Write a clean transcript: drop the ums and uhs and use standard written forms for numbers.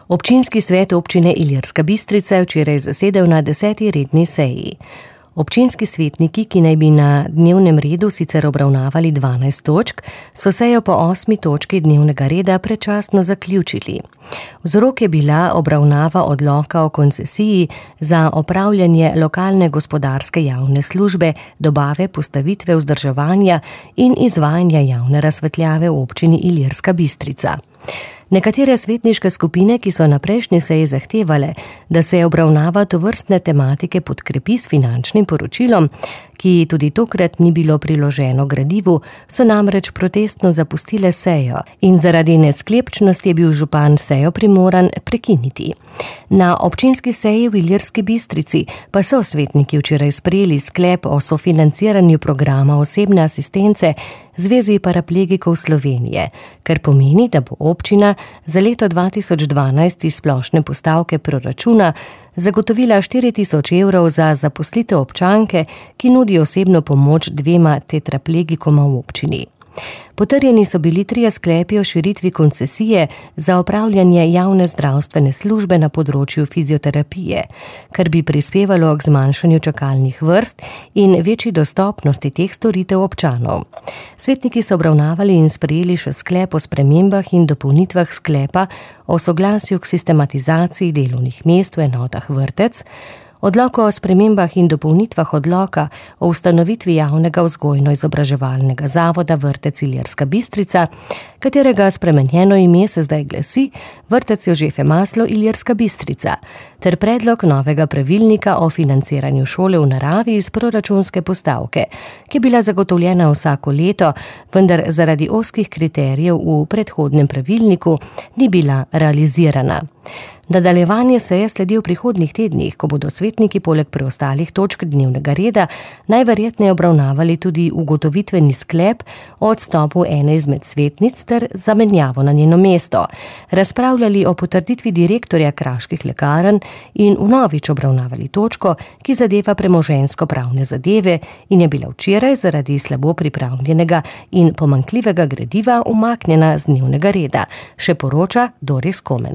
Občinski svet občine Ilirska Bistrica je včeraj zasedel na 10. redni seji. Občinski svetniki, ki naj bi na dnevnem redu sicer obravnavali 12 točk, so sejo po 8. točki dnevnega reda predčasno zaključili. Vzrok je bila obravnava odloka o koncesiji za opravljanje lokalne gospodarske javne službe, dobave, postavitve, vzdrževanja in izvajanja javne razsvetljave v občini Ilirska Bistrica. Nekatere svetniške skupine, ki so na prejšnji seji zahtevale, da se obravnava tovrstne tematike podkrepi s finančnim poročilom, ki tudi tokrat ni bilo priloženo gradivu, so namreč protestno zapustile sejo in zaradi nesklepčnosti je bil župan sejo primoran prekiniti. Na občinski seji v Ilirski Bistrici pa so svetniki včeraj sprejeli sklep o sofinanciranju programa osebne asistence Zvezi paraplegikov Slovenije, kar pomeni, da bo občina za leto 2012 iz splošne postavke proračuna zagotovila 4.000 evrov za zaposlitev občanke, ki nudi osebno pomoč 2 tetraplegikoma v občini. Potrjeni so bili 3 sklepi o širitvi koncesije za opravljanje javne zdravstvene službe na področju fizioterapije, kar bi prispevalo k zmanjšanju čakalnih vrst in večji dostopnosti teh storitev občanov. Svetniki so obravnavali in sprejeli še sklep o spremembah in dopolnitvah sklepa o soglasju k sistematizaciji delovnih mest v enotah vrtec, odlok o spremembah in dopolnitvah odloka o ustanovitvi javnega vzgojno-izobraževalnega zavoda Vrtec Ilirska Bistrica, katerega spremenjeno ime se zdaj glasi Vrtec Jožefe Maslo Ilirska Bistrica, ter predlog novega pravilnika o financiranju šole v naravi iz proračunske postavke, ki je bila zagotovljena vsako leto, vendar zaradi ozkih kriterijev v predhodnem pravilniku ni bila realizirana. Nadaljevanje seje sledi v prihodnjih tednih, ko bodo svetniki poleg preostalih točk dnevnega reda najverjetneje obravnavali tudi ugotovitveni sklep o odstopu ene izmed svetnic ter zamenjavo na njeno mesto, razpravljali o potrditvi direktorja Kraških lekarn in vnovič obravnavali točko, ki zadeva premoženjsko-pravne zadeve in je bila včeraj zaradi slabo pripravljenega in pomanjkljivega gradiva umaknjena z dnevnega reda, še poroča Doris Komen.